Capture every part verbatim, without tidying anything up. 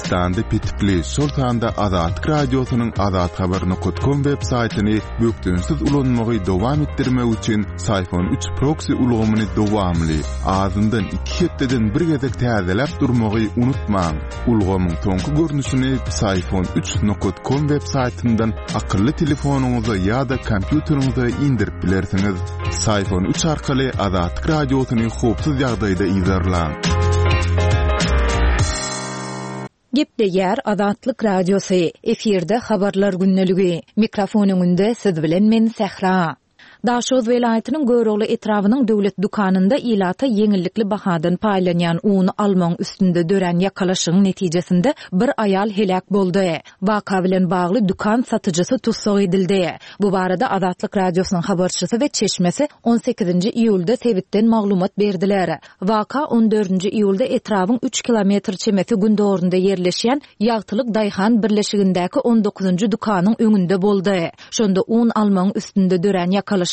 Türkmenistanda petikli, şol sanda Azatlyk Radiosynyň azathabar nokat kom web saýtyny bökdençsiz ulanmagy dowam etdirmek üçin Psiphon üç proksi ulgamyny dowamly, azyndan iki hepdeden bir gezek täzeläp durmagy unutmaň. Ulgamyň soňky görnüşini Psiphon üç nokat kom web saýtyndan akylly telefonyňyza ýa-da kompýuteriňize indirip bilersiňiz. Psiphon üç arkaly Azatlyk Radiosyny howpsuz ýagdaýda yzarlaň. Gepleýär Azatlyk Radiosy. Efirde habarlar gündeligi. Mikrofon öňünde siz bilen men Sähra. Daşoguz welaýatynyň Görogly etrabynyň döwlet dükanynda ilata ýeňillikli bahadan paýlanýan uny almagyň üstünde dörän ýakalaşygyň netijesinde bir aýal heläk boldy. Waka bilen bagly dükan satyjysy tussag edildi. Bu barada Azatlyk Radiosynyň habarçysy we çeşmesi on sekizinji iýulda sebitden maglumat berdiler. Waka on dördünji iýulda etrabyň üç kilometr çemesi gündogurynda ýerleşýän Ýagtylyk Daýhan birleşigindäki on dokuzynjy dükanyň öňünde boldy. Şonda un almagyň üstünde dörän ýakalaşykda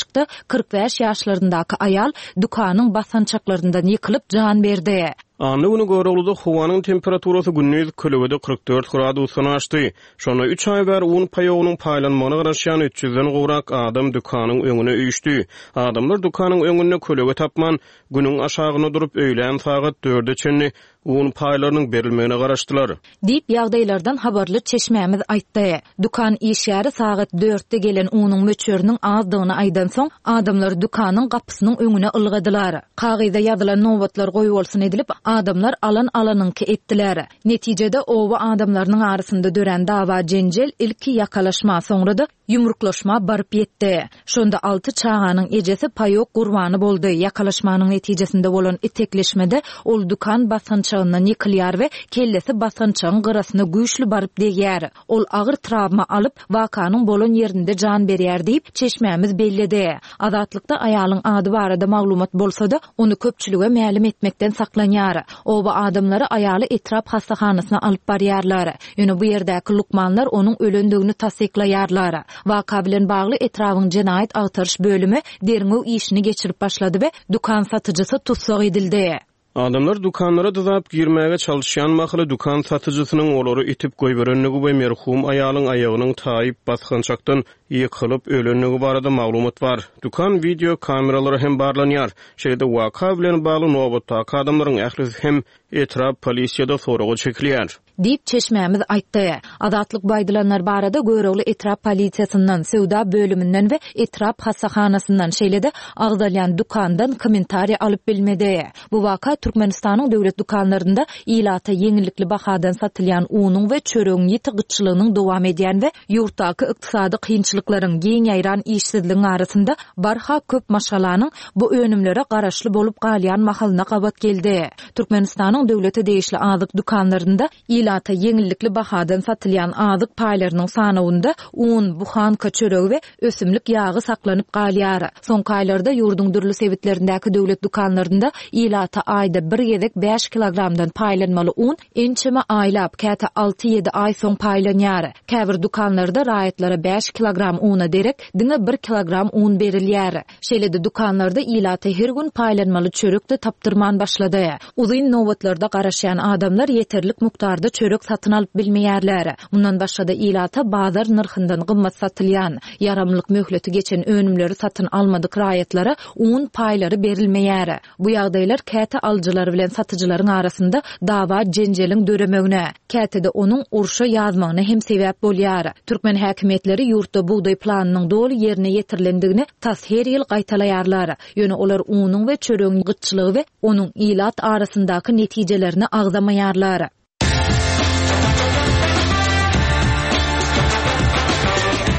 kyrk bäş ýaşlaryndaky aýal dükanyň basançaklaryndan ýykylyp jan berdi. Anna günü Görogluda howanyň temperaturasy gündiz kölegede kyrk dört gradusdan aşdy. Şonda üç aý bäri un paýogynyň paýlanmagyna garaşýan üç ýüzden gowrak adam dükanyň öňüne üýşdi. Adamlar dükanyň öňünde kölege tapman, günüň aşagyna durup öýlän sagat dörde çenli un paýlarynyň berilmegine garaşdylar. Diýip ýagdaýlardan habarly çeşmämiz aýtdy. Dükan işgäri sagat dörtde gelen unuň möçberiniň azdygyny aýdan soň, adamlar dükanyň gapysynyň öňüne ylgadylar. Kagyza ýazylan nobatlar goýbolsun edilip, adamlar alan alanyňky etdiler. Netijede oba adamlarynyň arasynda dörän dawa jenjel ilki ýakalaşma, soňra da ýumruklaşma baryp ýetdi. Şonda alty çaganyň ejesi paýok gurbany boldy. Ýakalaşmanyň netijesinde bolan itekleşmede ol dükan basgançagyndan ýykylýar we kellesi basgançagyň gyrasyna güýçli baryp degýär. Ol agyr travma alyp, wakanyň bolan ýerinde jan berýär diýip, çeşmämiz belledi. Azatlykda aýalyň ady barada maglumat bolsa-da, ony köpçülige mälim etmekden saklanýar. Oba adamlary aýaly etrap hastahanasyna alyp barýarlar. Ýöne bu ýerdäki lukmanlar onuň ölendigini tassyklaýarlar. Waka bilen bagly etrabyň jenaýat agtaryş bölümi derňew işini geçirip başlady we dükan satyjysy tussag edildi. Adamlar dükanlara dyzap girmäge çalışýan mahaly dükan satyjysynyň olary itip goýberenligi we merhum aýalyň aýagynyň taýyp basgançakdan ýykylyp ölenligi barada maglumat bar. Dükan video kameralary hem barlanýar. Şeýle-de waka bilen bagly nobatdaky adamlaryň ählisi hem etrap polisiýada soraga çekilýär. Diýip çeşmämiz aýtdy. Azatlyk baýdylanlar barada Görogly etrap polisiýasyndan, söwda bölüminden we etrap hastahanasyndan, şeýle-de agzalýan dükandan kommentariýa alyp bilmedi. Bu waka Türkmenistanyň döwlet dükanlarynda ilata ýeňillikli bahadan satylýan unuň we çöregiň ýiti gytçylygynyň dowam edýän we ýurtdaky ykdysady kynçylyklaryň, giň ýaýran işsizligiň arasynda barha köp maşgalanyň bu önümlere garaşly bolup galýan mahalyna gabat geldi. Türkmenistanyň döwlete degişli azyk dükanlarynda ilata ýeňillikli bahadan satylýan azyk paýlarynyň sanawynda un, buhanka çöregi we ösümlik ýagy saklanyp galýar. Soňky aýlarda ýurduň dürli sebitlerindäki döwlet dükanlarynda ilata aýda bir gezek bäş kilogramdan paýlanmaly un ençeme aýlap, käte alty ýedi aý soň paýlanýar. Käbir dükanlarda raýatlara bäş kilogram una derek diňe bir kilogram un berilýär. Şeýle-de dükanlarda ilata her gün paýlanmaly çörek de tapdyrman başlady. Uzyn nobatlarda garaşýan adamlar ýeterlik mukdarda çörek satyn alyp bilmeýärler. Mundan başga-da ilata bazar nyrhyndan gymmat satylýan, ýaramlyk möhleti geçen önümleri satyn almadyk raýatlara un paýlary berilmeýär. Bu ýagdaýlar käte alyjylar bilen satyjylaryň arasynda dawa jenjeliň döremegine, käte-de onuň urşa ýazmagyna hem sebäp bolýar. Türkmen häkimiýetleri ýurtda bugdaý planynyň doly ýerine ýetirilendigini tas her ýyl gaýtalaýarlar. Ýöne olar unuň we çöregiň gytçylygy we onuň ilat arasyndaky netijelerini agzamaýarlar.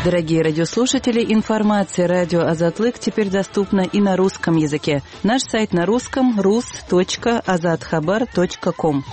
Дорогие радиослушатели, информация радио Азатлык теперь доступна и на русском языке. Наш сайт на русском рус точка азатхабар точка ком.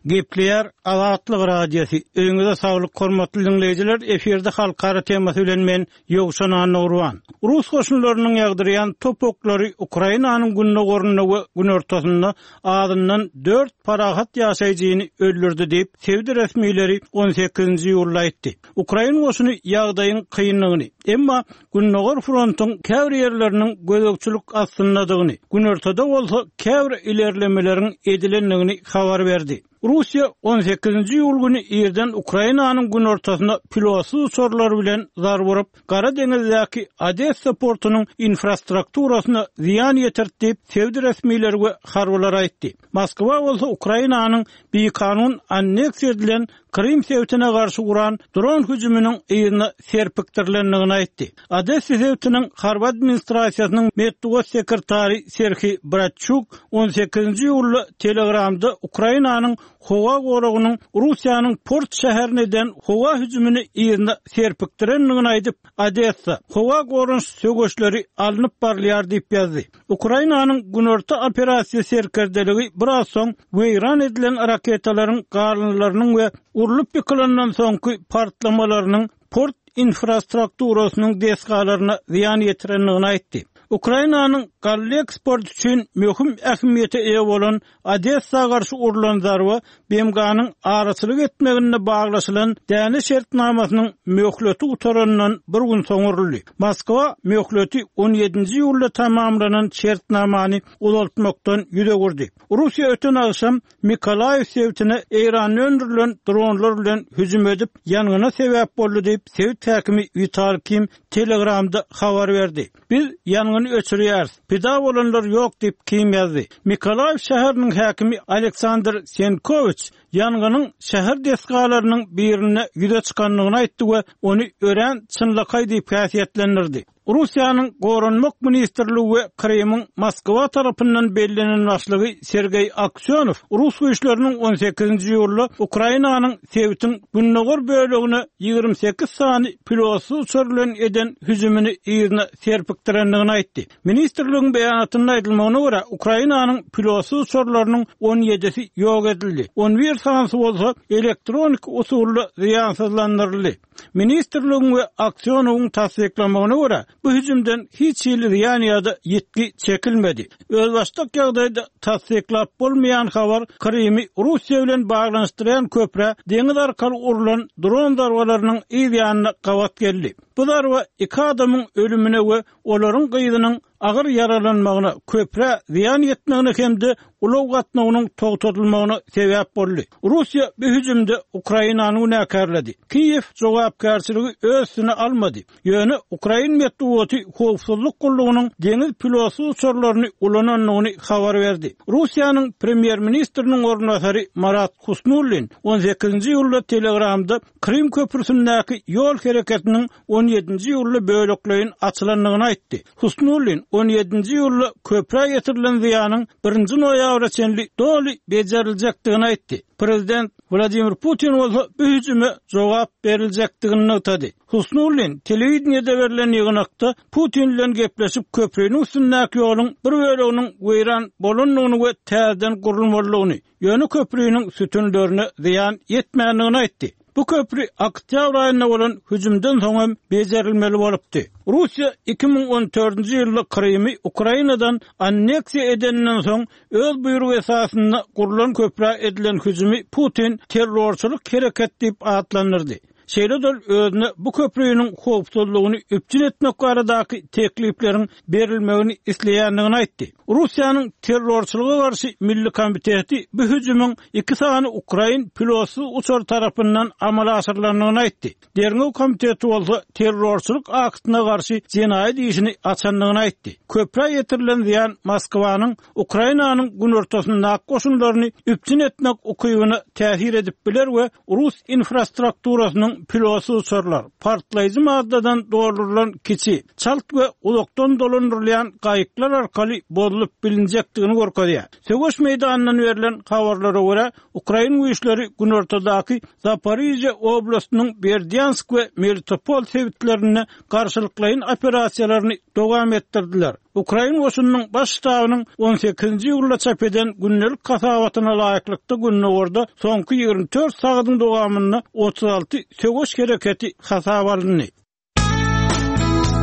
Gepleýär Azatlyk Radiosy. Öýüňize saglyk hormatly dinleýjiler, efirde halkara temasy bilen men Ýowşan Annagurban. Rus goşunlarynyň ýagdyrýan top oklary Ukrainanyň gündogarynda we günortasynda azyndan dört parahat ýaşaýjyny öldürdi diýip, sebit resmileri on sekizinji iýulda aýtdy. Ukrain goşuny ýagdaýyň kynlygyny, emma Gündogar frontuň käbir ýerleriniň gözegçilik astyndadygyny, günortada bolsa käbir ilerlemeleriň edilendigini habar berdi. Russiýa on sekizinji iýul güni irden Ukrainanyň günortasyna pilotsyz uçarlar bilen zarba urup, Gara deňizdäki Odessa portunyň infrastrukturasyna zyýan ýetirdi diýip, sebit resmileri we harbylar aýtdy. Moskwa bolsa Ukrainanyň bikanun anneksiýa edilen Krym sebitine garşy guran dron hüjüminiň yzyna serpikdirilendigini aýtdy. Odessa sebitiniň harby administrasiýasynyň metbugat sekretary Serhiý Bratçuk on sekizinji iýulda Telegramda Ukrainanyň howa goragynyň Russiýanyň port şäherine eden howa hüjümini yzyna serpikdirendigini aýdyp, Odessa, howa goranyş söweşleri alnyp barylýar diýip ýazdy. Ukrainanyň günorta operasiýa serkerdeligi biraz soň weýran edilen raketalaryň galyndylarynyň we urlup ýykylandan soňky partlamalarynyň port infrastrukturasynyň desgalaryna zyýan ýetirendigini aýtdy. Ukrainanyň galla eksport üçin möhüm ähmiýete eýe bolan Odessa garşy urlan zarba B M G-nyň araçylyk etmeginde baglaşylan däne şertnamasynyň möhleti gutarandan bir gün soň uruldy. Moskwa möhleti on ýedinji iýulda tamamlanan şertnamany uzaltmakdan ýüz öwürdi. Russiýa öten agşam Mikolaýew sebitine Eýranda öndürilen dronlar bilen hüjüm edip, ýangyna sebäp boldy diýip, sebit häkimi Wital Kim Telegramda habar berdi. Biz ýangyny öçürýäris. Pida bolanlar ýok diýip Kim ýazdy. Mikolaýew şäheriniň häkimi Aleksandr Senkowiç ýangynyň şäher desgalarynyň birinde ýüze çykandygyny aýtdy we ony örän çynlakaý diýip häsiýetlendirdi. Russiýanyň Goranmak ministrligi we Krymyň Moskwa tarapyndan bellenen başlygy Sergeý Aksyonow Rus güýçleriniň on sekizinji iýulda Ukrainanyň sebitiň gündogar bölegine ýigrimi sekiz sany pilotsyz uçar bilen eden hüjümini yzyna serpikdirendigini aýtdy. Ministrligiň beýanatynda aýdylmagyna görä, Ukrainanyň pilotsyz uçarlarynyň on ýedisi ýok edildi. on bir sanysy bolsa elektronik usulda zyýansyzlandyryldy. Ministrligiň we Aksyonowyň tassyklamagyna görä, bu hüjümden hiç hili zyýan ýa-da ýitgi çekilmedi. Özbaşdak ýagdaýda tassyklap bolmaýan habar Krymy Russiýa bilen baglanyşdyrýan köprä deňiz arkaly urlan dron zarbalarynyň yz ýanyna gabat geldi. Bu zarba iki adamyň ölümine we olaryň gyzynyň agyr ýaralanmagyna, köprä zyýan ýetmegine hem-de ulag gatnawynyň togtatylmagyna sebäp boldy. Russiýa bu hüjümde Ukrainany günäkärledi. Kiýew jogapkärçiligi öz üstüne almady. Ýöne Ukrain metbugaty howpsuzlyk gullugynyň deňiz pilotsyz uçarlaryny ulanandygyny habar berdi. Russiýanyň premýer-ministriniň orunbasary Marat Husnullin on sekizinji iýulda Telegramda Krym köprüsündäki ýol hereketiniň on ýedinji iýulda bölekleýin açylandygyny aýtdy. Husnullin on ýedinji iýulda köprä ýetirilen zyýanyň birinji noýabra çenli doly beceriljekdigini aýtdy. Prezident Wladimir Putin bolsa bu hüjüme jogap beriljekdigini nygtady. Husnullin telewideniýede berlen ýygnakda Putin bilen gepleşip köprüniň üstündäki ýoluň bir böleginiň weýran bolandygyny we täzeden gurulmalydygyny, ýöne köprüniň sütünlerine zyýan ýetmändigini aýtdy. Bu köprü oktýabr aýynda bolan hüjümden soň hem becerilmeli bolupdy. Russiýa iki müň on dördünji ýylda Krymy Ukrainadan anneksiýa edenden soň öz buýrugy esasynda gurlan köprä edilen hüjümi Putin terrorçylyk hereket diýip atlandyrdy. Şeýle-de özüne bu köprüniň howpsuzlygyny üpjün etmek baradaky teklipleriň berilmegini isleýändigini aýtdy. Russiýanyň terrorçylyga garşy milli komiteti bu hüjümiň iki sany ukrain pilotsyz uçar tarapyndan amala aşyrylandygyny aýtdy. Derňew komiteti bolsa terrorçylyk aktyna garşy jenaýat işini açandygyny aýtdy. Köprä ýetirilen zyýan Moskwanyň Ukrainanyň günortasyndaky goşunlaryny üpjün etmek ukybyna täsir edip biler we rus infrastrukturasynyň pilotsyz uçarlar, partlaýjy maddadan doldurylan kiçi, çalt we uzakdan dolandyrylýan gaýyklar arkaly bozulyp bilinjekdigini görkezýär. Söweş meýdanyndan berlen habarlara görä, ukrain güýçleri günortadaky Zaporizhzhia oblastynyň Berdyansk we Melitopol sebitlerinde garşylyklaýyn operasiýalaryny dowam etdirdiler. Ukrain goşunynyň baş ştabynyň on sekizinji iýulda çap eden gündelik hasabatyna laýyklykda gündogarda soňky ýigrimi dört sagatyň dowamynda otuz alty söweş hereketi hasaba alyndy.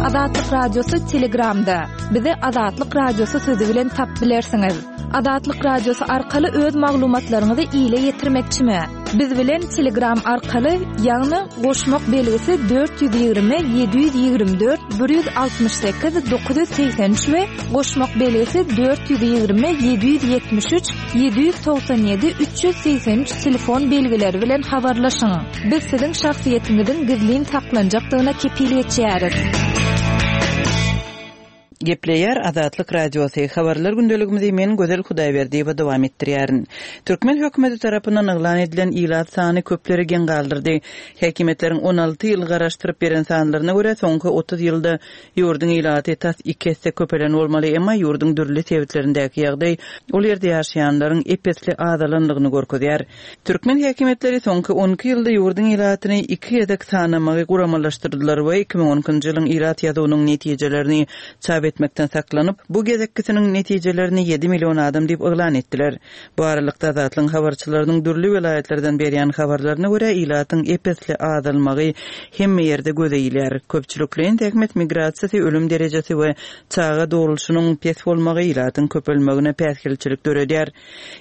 Azatlyk Radiosy Telegramda. Bizi Azatlyk Radiosy sözi bilen tap bilersiňiz. Azatlyk Radiosy arkaly öz maglumatlaryňyzy ile ýetirmekçimi? Biz bilen Telegram arkaly, ýagny goşmak belgisi dört ýüz ýigrimi ýedi ýüz ýigrimi dört bir ýüz altmyş sekiz dokuz ýüz segsen üç we goşmak belgisi dört ýüz ýigrimi ýedi ýüz ýetmiş üç ýedi ýüz togsan ýedi üç ýüz segsen üç telefon belgileri bilen habarlaşyň. Biz siziň şahsyýetiňiziň gizlin saklanjakdygyna kepil geçýäris. Gepleýär Azatlyk Radiosy. Habarlar gündeligimizi men Gözel Hudaýberdiýewa dowam etdirýärin. Türkmen hökümeti tarapyndan yglan edilen ilat sany köpleri geň galdyrdy. Häkimiýetleriň on alty ýyl garaşdyryp beren sanlaryna görä soňky otuz ýylda ýurduň ilaty tas iki esse köpelen bolmaly, emma ýurduň dürli sebitlerindäki ýagdaý ol ýerde ýaşaýanlaryň ep-esli azalandygyny görkezýär. Türkmen häkimiýetleri soňky on iki ýylda ýurduň ilatyny iki gezek sanamagy guramalaşdyrdylar we iki müň on ikinji ýylyň ilat ýazuwynyň netijelerini çap etmekden saklanyp, bu gezekkisiniň netijelerini ýedi million adam diýip yglan etdiler. Bu aralykda Azatlygyň habarçylarynyň dürli welaýatlardan berýän habarlaryna görä ilatyň ep-esli azalmagy hemme ýerde göze ilýär. Köpçülikleýin zähmet migrasiýasy, ölüm derejesi we çaga doguluşynyň pes bolmagy ilatyň köpelmegine päsgelçilik döredýär.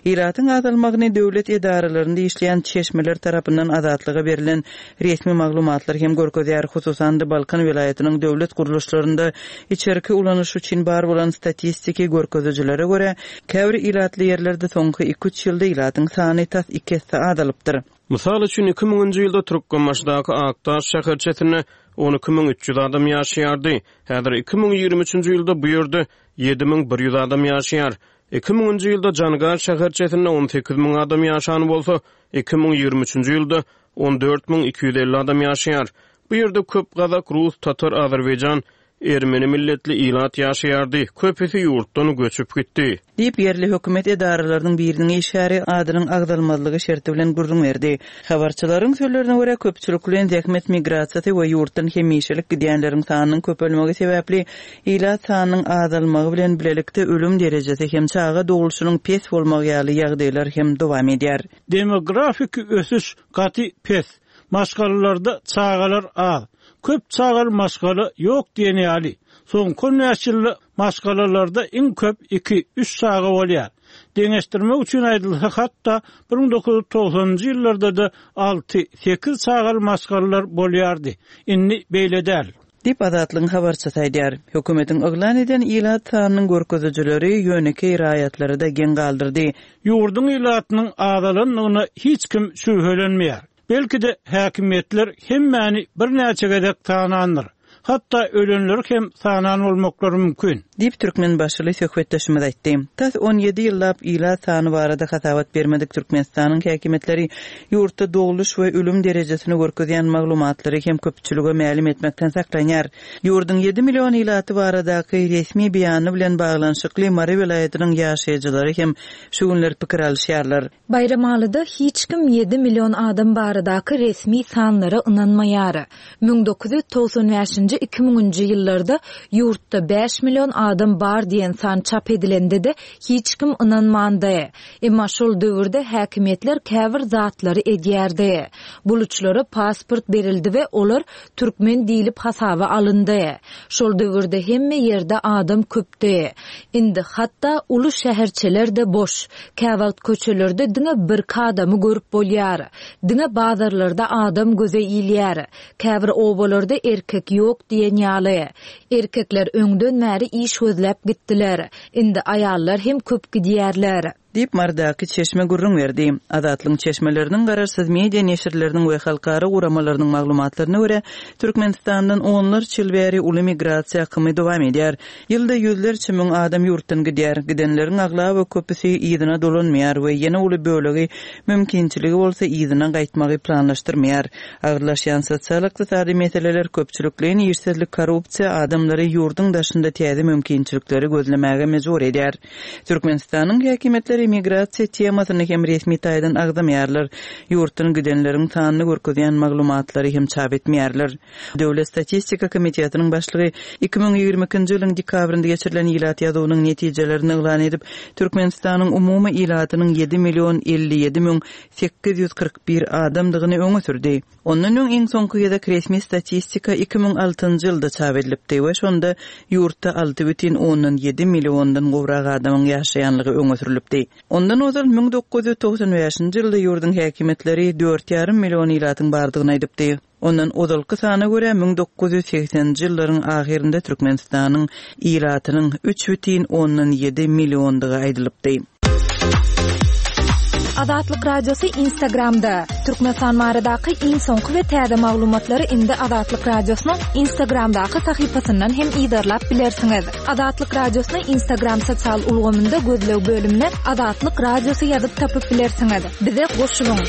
Ilatyň azalmagyny döwlet edaralarynda işleýän çeşmeler tarapyndan Azatlyga berlen resmi maglumatlar hem görkezýär. Hususan-da Balkan welaýatynyň döwlet gurluşlarynda içerki ulanyş üçin bar bolan statistiki görkezijilere görä, käbir ilatly ýerlerde soňky iki üç ýylda ilatyň sany tas iki esse azalypdyr. Mysal üçin iki müňünji ýylda Türkmenbaşydaky Akdaş şäherçesinde on iki müň üç ýüz adam ýaşaýardy. Häzir iki müň ýigrimi üçünji ýylda bu ýerde ýedi müň bir ýüz adam ýaşaýar. Iki müňünji ýylda Jangar şäherçesinde on sekiz müň adam ýaşan bolsa, iki müň ýigrimi üçünji ýylda on dört müň iki ýüz elli adam ýaşaýar. Bu ýerde köp Gazak, Rus, Tatar, Azerbaýjan, Ermeni milletli ilat ýaşaýardy. Köpüsi ýurtdan göçüp gitdi. Diýip ýerli hökümet edaralarynyň biriniň işgäri adynyň agzalmazlygy şerti bilen gürrüň berdi. Habarçylaryň sözlerine görä köpçülikleýin zähmet migrasiýasy we ýurtdan hemişelik gidýänleriň sanynyň köpelmegi sebäpli ilat sanynyň azalmagy bilen bilelikde ölüm derejesi hem çaga doguluşynyň pes bolmagy ýaly ýagdaýlar hem dowam edýär. Demografik ösüş gaty pes. Maşgalalarda çagalar az. Köp çagal maşgala ýok diýen ýaly. Soňky on bäş ýylda maşgalalarda iň köp iki, üç çaga bolýar. Deňeşdirmek üçin aýdylsa, hatda bir müň dokuz ýüz togsanynjy ýyllarda da alty, sekiz çagaly maşgalalar bolýardy. Indi beýle däl. Diýip Azatlygyň habarçysy aýdýar. Hökümetiň yglan eden ilat sanynyň görkezijileri ýönekeý raýatlary da geň galdyrdy. Ýurduň ilatynyň azalandygyna hiç kim şübhelenmeýär. Belki de häkimiýetler hemmäni birnäçe gezek tanandyr. Hatda ölenleri hem sanan bolmaklary mümkin. Diýip Türkmenbaşyly söhbetdeşimiz aýtdy. Tas on ýedi ýyllap ilat sany barada hasabat bermedik Türkmenistanyň häkimiýetleri ýurtda doguluş we ölüm derejesini görkezýän maglumatlary hem köpçülige mälim etmekden saklanýar. Ýurduň ýedi million ilaty baradaky resmi beýany bilen baglanyşykly Mary welaýatynyň ýaşaýjylary hem şu günler pikir alyşýarlar. Baýramalyda hiç kim ýedi million adam baradaky resmi sanlara ynanmaýar. Müň dokuz ýüz togsan bäşinji iki müňünji ýyllarda ýurtda bäş million adam bar diýen san çap edilende de hiç kim ynanmandy. Emma şol döwürde häkimiýetler käbir zatlary edýärdi. Buluçlara pasport berildi we olar türkmen diýlip hasaba alyndy. Şol döwürde hemme ýerde adam köpdi. Indi hatda uly şäherçeler de boş. Käwagt köçelerde diňe bir adamy görüp bolýar. Diňe bazarlarda adam göze ilýär. Käbir obalarda erkek ýok diýen ýaly. Erkekler öňden bäri iş gözläp gitdiler. Indi aýallar hem köp gidýärler. Diýip, Marydaky çeşme gürrüň berdi. Azatlygyň çeşmeleriniň, garaşsyz media neşirleriniň we halkara guramalarynyň maglumatlaryna görä, Türkmenistandan onlarça ýyl bäri uly migrasiýa akymy dowam edýär. Ýylda ýüzlerçe müň adam ýurtdan gidýär. Gidenleriň aglaba köpüsi yzyna dolanmaýar we ýene uly bölegi mümkinçiligi bolsa yzyna gaýtmagy planlaşdyrmaýar. Agyrlaşýan sosial-ykdysady meseleler, köpçülikleýin işsizlik, korrupsiýa adamlary ýurduň daşynda täze mümkinçilikleri gözlemäge mejbur edýär. Türkmenistanyň häkimiýetleri migrasiýa temasyny hem resmi taýdan agzamaýarlar. Ýurtdan gidenleriň sanyny görkezýän maglumatlary hem çap etmeýärler. Döwlet statistika komitetiniň başlygy iki müň ýigrimi ikinji ýylyň dekabrynda geçirilen ilat ýazuwynyň netijelerini yglan edip, Türkmenistanyň umumy ilatynyň ýedi million elli ýedi müň sekiz ýüz kyrk bir adamdygyny öňe sürdi. Ondan öň iň soňky gezek resmi statistika iki müň altynjy ýylda çap edilipdi we şonda ýurtda alty bütin ondan ýedi milliondan gowrak adamyň ýaşaýanlygy öňe sürlüpdi. Ondan ozal müň dokuz ýüz togsan bäşinji ýylda ýurduň häkimiýetleri dört ýarym million ilatyň bardygyny aýdypdy. Ondan ozalky sana görä müň dokuz ýüz segseninji ýyllaryň ahyrynda Türkmenistanyň ilatynyň üç bütin ondan ýedi milliondygy aýdylypdy. Azatlyk Radiosy Instagramda. Türkmenistan baradaky iň soňky we täze maglumatlary indi Azatlyk Radiosynyň Instagramdaky sahypasyndan hem yzarlap bilersiňiz. Azatlyk Radiosyny Instagram sosial ulgamynda gözleg bölümine Azatlyk Radiosy ýazyp tapyp bilersiňiz. Bize goşulyň.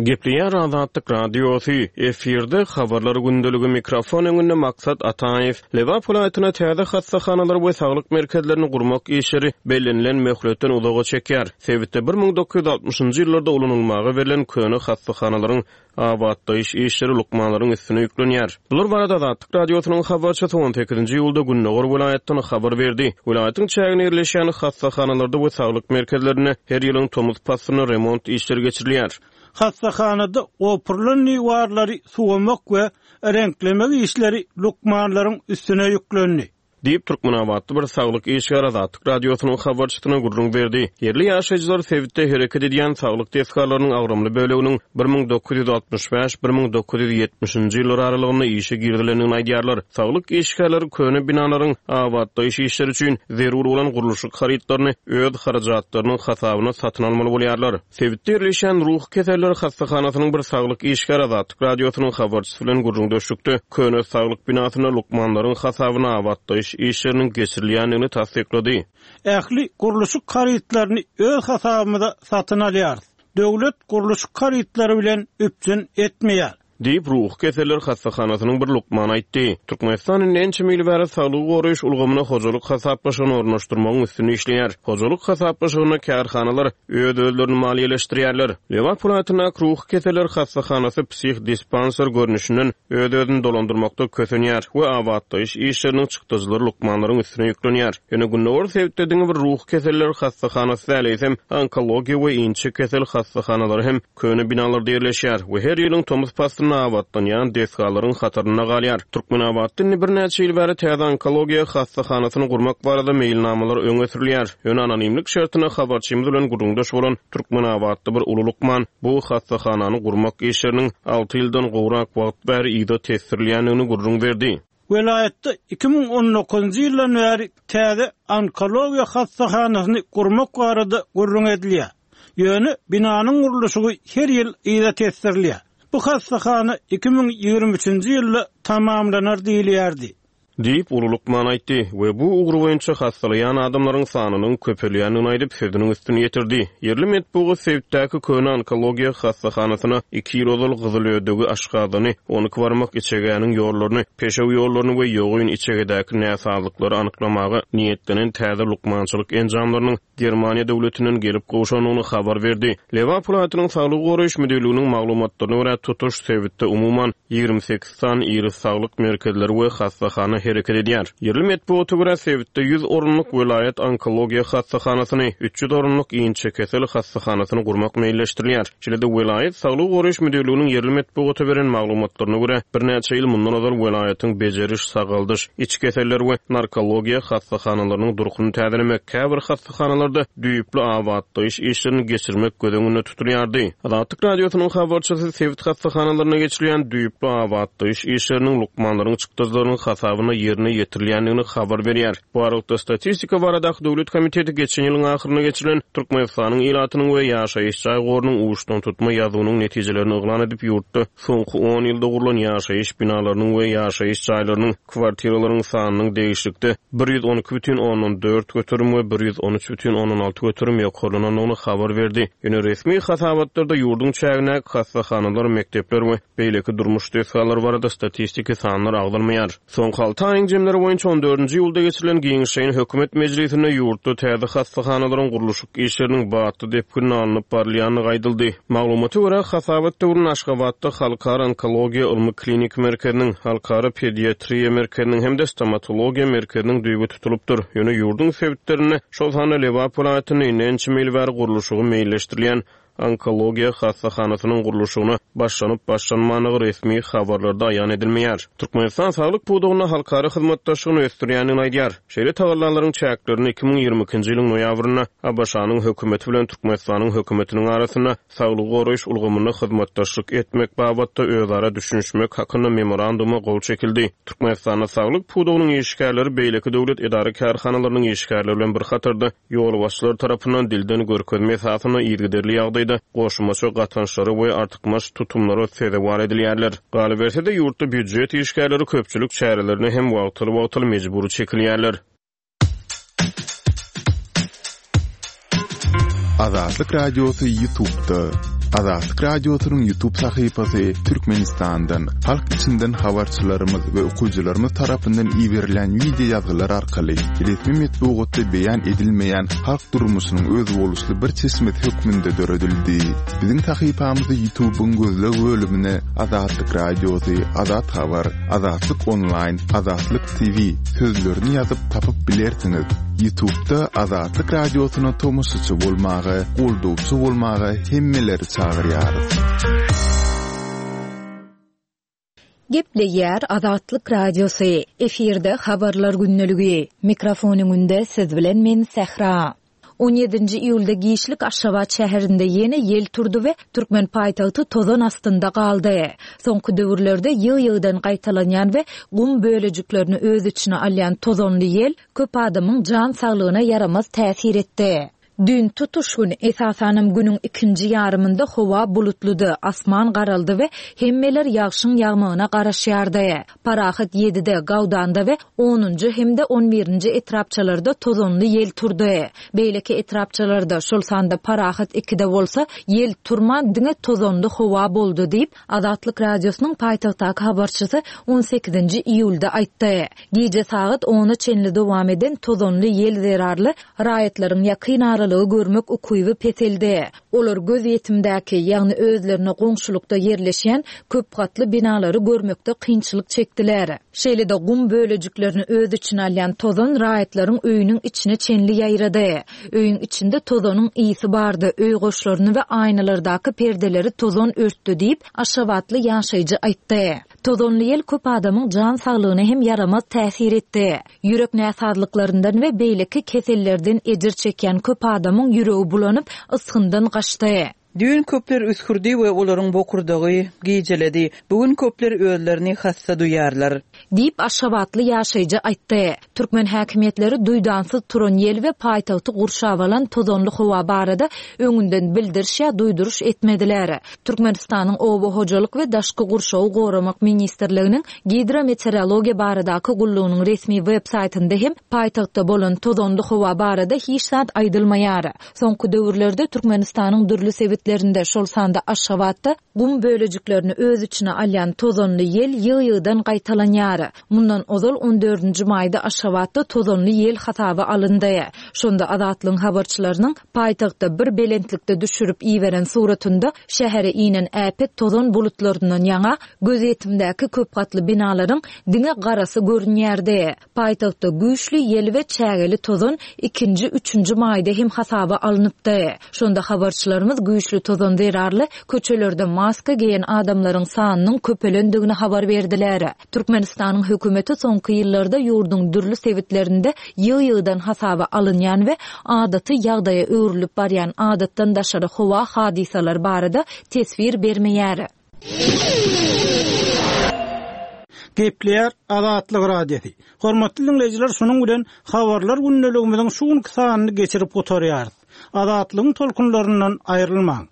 Gepleýär Azatlyk Radiosy, efirde habarlar gündeligi mikrofon öňünde Maksat Ataýew. Lebap welaýatyna täze hassahanalar we saglyk merkezlerini gurmak işleri bellenilen möhletden uzaga çekýär. Sebitde bir müň dokuz ýüz altmyşynjy ýyllarda ulanylmaga berlen köne hassahanalaryň abatlaýyş işleri lukmanlaryň üstüne ýüklenýär. Bular barada Azatlyk Radiosynyň habarçysy on sekizinji iýulda Gündogar welaýatdan habar berdi. Welaýatyň çäginde ýerleşýän hassahanalarda we saglyk merkezlerinde her ýylyň tomus paslynda remont işleri geçirilýär. Hassahanada opurylan diwarlary suwamak we reňklemek işleri lukmanlaryň üstüne ýüklendi. Diýip, Türkmenabatly bir saglyk işgäri Azatlyk Radiosynyň habarçysyna gürrüň berdi. Ýerli ýaşaýjylar sebitde hereket edýän saglyk desgalarynyň agramly böleginiň bir müň dokuz ýüz altmyş bäş, bir müň dokuz ýüz ýetmişinji ýyllar aralygynda işe girizilendigini aýdýarlar. Saglyk işgärleri köne binalaryň abatlaýyş işleri üçin zerur bolan gurluşyk harytlaryny öz harajatlarynyň hasabyna satyn almaly bolýarlar. Sebitde ýerleşýän ruhy keseller hassahanasynyň bir saglyk işgäri Azatlyk Radiosynyň habarçysy bilen gürrüňdeşlikde köne saglyk binasyna lukmanlaryň hasabyna abatlaýyş işleriniň geçirilýändigini tassyklady. Ähli gurluşyk harytlaryny öz hasabymyza satyn alýarys. Döwlet gurluşyk harytlary bilen üpjün etmeýär. Diýip, ruhy keseller hassahanasynyň bir lukmany aýtdy. Türkmenistan indi ençeme ýyl bäri saglygy goraýyş ulgamyna hojalyk hasaplaşygyny ornaşdyrmagyň üstünde işleýär. Hojalyk hasaplaşygynda kärhanalar öz-özlerini maliýeleşdirýärler. Lebap welaýatyndaky ruhy keseller hassahanasy psihdispanser görnüşinden öz-özüni dolandyrmakda kösenýär we abatlaýyş işleriniň çykdajylary lukmanlaryň üstüne ýüklenýär. Ýöne Gündogar sebitde diňe bir ruhy keseller hassahanasy däl, eýsem onkologiýa we inçe kesel hassahanalary hem köne binalarda ýerleşýär we her ýylyň tomus paslynda abatlanýan desgalaryň hatarynda galýar. Türkmenabatda indi birnäçe ýyl bäri täze onkologiýa hassahanasyny gurmak barada meýilnamalar öňe sürülýär. Ýöne anonimlik şertine habarçymyz bilen gürrüňdeş bolan Türkmenabatda bir uly lukman bu hassahanany gurmak işleriniň alty ýyldan gowrak wagt bäri yza tesdirilýändigini gürrüň berdi. Welaýatda iki müň on dokuzynjy ýyldan bäri täze onkologiýa hassahanasyny gurmak barada gürrüň edilýär. Ýöne binanyň gurluşygy her ýyl yza tesdirilýär. Bu hassahana iki müň ýigrimi üçünji ýylda tamamlanar diýilýärdi. Diýip, uly lukman aýtdy we bu ugry boýunça hassalaýan adamlaryň sanynyň köpelýändigini aýdyp, sözüniň üstüni ýetirdi. Ýerli metbugat sebitdäki köne onkologiýa hassahanasyna iki ýyl ozal gyzylödegi aşgazany, on iki barmak içegäniň ýollaryny, peşew ýollaryny we ýogyn içegedäki näsazlyklary anyklamaga niýetlenen täze lukmançylyk enjamlarynyň Germaniýa döwletinden gelip gowşandygyny habar berdi. Lebap welaýatynyň saglygy goraýyş müdirliginiň maglumatlaryna görä tutuş sebitde umuman ýigrimi sekiz sany iri saglyk merkezleri we hassahana hereket edýär. Ýerli metbugata görä sebitde ýüz orunlyk welaýat onkologiýa hassahanasyny, üç ýüz orunlyk inçe kesel hassahanasyny gurmak meýilleşdirilýär. Şeýle-de welaýat saglygy goraýyş müdirliginiň ýerli metbugata beren maglumatlaryna görä birnäçe ýyl mundan ozal welaýatyň bejeriş, sagaldyş, iç keseller we narkologiýa hassahanalarynyň durkuny täzelemek, käbir hassahanalarda düýpli abatlaýyş işlerini geçirmek göz öňünde tutulýardy. Azatlyk Radiosynyň habarçysy sebit hassahanalaryna geçirilýän düýpli abatlaýyş işleriniň lukmanlaryň çykdajylarynyň hasabyna ýerine ýetirilýändigini habar berýär. Bu aralykda, Statistika baradaky döwlet komiteti geçen ýylyň ahyrynda geçirilen Türkmenistanyň ilatynyň we ýaşaýyş jaý gorunyň uçdantutma ýazuwynyň netijelerini yglan edip, ýurtda soňky on ýylda gurlan ýaşaýyş binalarynyň we ýaşaýyş jaýlarynyň, kwartiralaryň sanynyň degişlilikde bir ýüz on iki bütin ondan dört göterim we bir ýüz on üç bütin ondan alty göterim ýokarlanandygyny habar berdi. Ýöne resmi hasabatlarda ýurduň çägindäki hassahanalar, mekdepler we beýleki durmuş desgalary barada statistiki sanlar agzalmaýar. Soňky alty aýyň jemleri boýunça on dördünji iýulda geçirilen giňişleýin hökümet mejlisinde ýurtda täze hassahanalaryň gurluşyk işleriniň batly depginine alnyp barylýandygy aýdyldy. Maglumata görä, hasabat döwründe Aşgabatda Halkara onkologiýa ylmy kliniki merkeziniň, Halkara pediatriýa merkeziniň hem-de stomatologiýa merkeziniň düýbi tutulypdyr. Ýöne ýurduň sebitlerinde, şol sanda Lebap welaýatynda indi ençeme ýyl bäri gurluşygy meýilleşdirilýän onkologiýa hassahanasynyň gurluşygyna başlanyp-başlanmandygy resmi habarlarda aýan edilmeýär. Türkmenistan saglyk pudagynda halkara hyzmatdaşlygyny ösdürýändigini aýdýar. Şeýle tagallalaryň çäklerinde iki müň ýigrimi ikinji ýylyň noýabrynda ABŞ-nyň hökümeti bilen Türkmenistanyň hökümetiniň arasynda saglygy goraýyş ulgamynda hyzmatdaşlyk etmek babatda özara düşünişmek hakynda memoranduma gol çekildi. Türkmenistanda saglyk pudagynyň işgärleri beýleki döwlet edara-kärhanalarynyň işgärleri bilen bir hatarda ýolbaşçylar tarapyndan dilden görkezme esasynda yzygiderli ýagdaýda goşmaça gatançlara we artykmaç tutumlara sezewar edilýärler. Galyberse-de, ýurtda býujet işgärleri köpçülik çärelerine hem wagtal-wagtal mejbury çekilýärler. Azatlyk Radiosy YouTube'da. Azatlyk Radiosynyň YouTube sahypasy Türkmenistandan, halk içinden habarçylarymyz we okyjylarymyz tarapyndan iberilen wideo ýazgylar arkaly resmi metbugatda beýan edilmeýän halk durmuşynyň özboluşly bir çeşmesi hökmünde döredildi. Biziň sahypamyzy YouTube'yň gözleg bölümine Azatlyk Radiosy, Azat Habar, Azatlyk Online, Azatlyk T V sözlerini ýazyp tapyp bilersiňiz. YouTube'da Azatlyk Radiosyna tomaşaçy bolmaga, goldawçy bolmaga hemmeleri çagyrýarys. Gepleýär Azatlyk Radiosy. Efirde habarlar gündeligi. Mikrofon öňünde siz bilen men Sähra. On ýedinji iýulda giçlik Aşgabat şäherinde ýene ýel turdy we Türkmen paýtagty tozan astynda galdy. Soňky döwürlerde ýygy-ýygydan gaýtalanýan we gum bölejiklerini öz içine alýan tozanly ýel köp adamyň jan saglygyna ýaramaz täsir etdi. Dün tutuş gün, esasanam günüň ikinji ýarymynda howa bulutlydy, asman garaldy we hemmeler ýagşyň ýagmagyna garaşýardy. Parahat ýedide, Gawdanda we onunjy hem-de on birinji etrapçalarda tozanly ýel turdy. Beýleki etrapçalarda, şol sanda Parahat ikide bolsa, ýel turman diňe tozanly howa boldy diýip, Azatlyk Radiosynyň paýtagtdaky habarçysy on sekizinji iýulda aýtdy. Gije sagat ona çenli dowam eden tozanly ýel zerarly raýatlaryň ýakyn aralygy görmek ukyby peseldi. Olar göz ýetimdäki, ýagny özlerine goňşulykda ýerleşýän köp gatly binalary görmekde kynçylyk çekdiler. Şeýle-de gum bölejiklerini öz içine alýan tozan raýatlaryň öýüniň içine çenli ýaýrady. Öýüň içinde tozanyň ýygy bardy, öý goşlaryny we aýnalardaky perdeleri tozan örtdi diýip, Aşgabatly ýaşaýjy aýtdy. Tozanly ýel köp adamyň jan saglygyna hem ýaramaz täsir etdi. Ýürek näsazlyklaryndan we beýleki kesellerden ejir çekýän köp adamyň ýüregi bulanyp, ysgyndan gaçdy. Düýn köpler üskürdi we olaryň bokurdagy gijeledi. Bugün köpler özlerini hassa duýarlar. Diýip Aşgabatly ýaşaýjy aýtdy. Türkmen häkimiýetleri duýdansyz turan ýel we paýtagty gurşap alan tozanly howa barada öňünden bildiriş ýa duýduryş etmediler. Türkmenistanyň Oba hojalyk we daşky gurşawy goramak ministrliginiň gidrometeorologiýa baradaky gullugynyň resmi web saýtynda hem paýtagtda bolan tozanly howa barada hiç zat aýdylmaýar. Soňky döwürlerde Türkmenistanyň dürli sebitlerinde, şol sanda Aşgabatda gum bölejiklerini öz içine alýan tozanly ýel ýygy-ýygydan gaýtalanýar. Mundan ozal on dördünji maýda Aşgabatda tozanly ýel hasaby alyndy. Şonda Azatlygyň habarçylarynyň paýtagtda bir belentlikde düşürip iberen suratynda şähere inen äpet tozan bulutlaryndan ýaňa gözýetimdäki köp gatly binalaryň diňe garasy görünýärdi. Paýtagtda güýçli ýel we çägeli tozan ikinji, üçünji maýda hem hasaba alnypdy. Şonda habarçylarymyz güýçli tozan zerarly köçelerde maska geýen adamlaryň sanynyň köpelendigini habar berdiler. Türkmenistanyň hökümeti soňky ýyllarda ýurduň dürli sebitlerinde ýygy-ýygydan hasaba alynýan we adaty ýagdaýa öwrülip barýan adatdan daşary howa hadysalary barada teswir bermeýär. Gepleýär Azatlyk Radiosy. Hormatly diňleýjiler, şunuň bilen habarlar gündeligimiziň şu günki sanyny geçirip gutarýarys. Azatlygyň tolkunlaryndan aýrylmaň.